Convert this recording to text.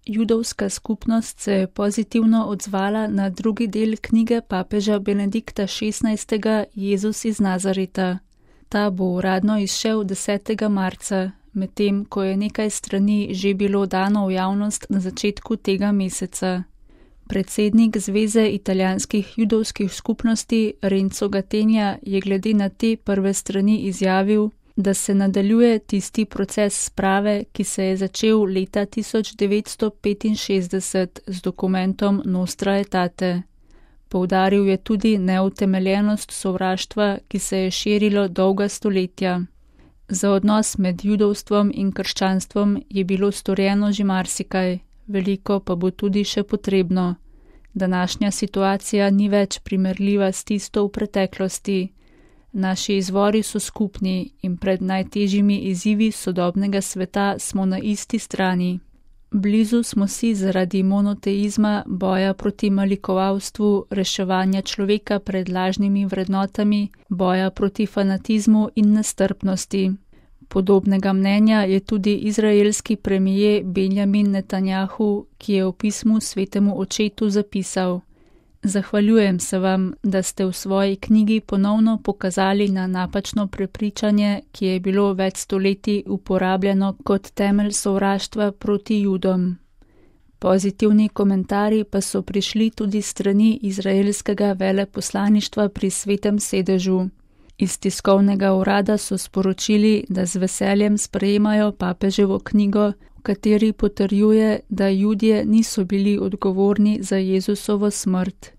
Judovska skupnost se je pozitivno odzvala na drugi del knjige papeža Benedikta XVI. Jezus iz Nazareta. Ta bo uradno izšel 10. marca, medtem ko je nekaj strani že bilo dano v javnost na začetku tega meseca. Predsednik Zveze italijanskih judovskih skupnosti Renzo Gattegna je glede na te prve strani izjavil, da se nadaljuje tisti proces sprave, ki se je začel leta 1965 z dokumentom Nostra Aetate. Poudaril je tudi neutemeljenost sovraštva, ki se je širilo dolga stoletja. Za odnos med judovstvom in krščanstvom je bilo storjeno že marsikaj, veliko pa bo tudi še potrebno. Današnja situacija ni več primerljiva s tisto v preteklosti. Naši izvori so skupni in pred najtežjimi izzivi sodobnega sveta smo na isti strani. Blizu smo si zaradi monoteizma, boja proti malikovalstvu, reševanja človeka pred lažnimi vrednotami, boja proti fanatizmu in nestrpnosti. Podobnega mnenja je tudi izraelski premijer Benjamin Netanjahu, ki je v pismu Svetemu očetu zapisal: Zahvaljujem se vam, da ste v svoji knjigi ponovno pokazali na napačno prepričanje, ki je bilo več stoletij uporabljeno kot temelj sovraštva proti Judom. Pozitivni komentarji pa so prišli tudi strani izraelskega veleposlaništva pri Svetem sedežu. Iz tiskovnega urada so sporočili, da z veseljem sprejemajo papeževo knjigo, v kateri potrjuje, da Judje niso bili odgovorni za Jezusovo smrt.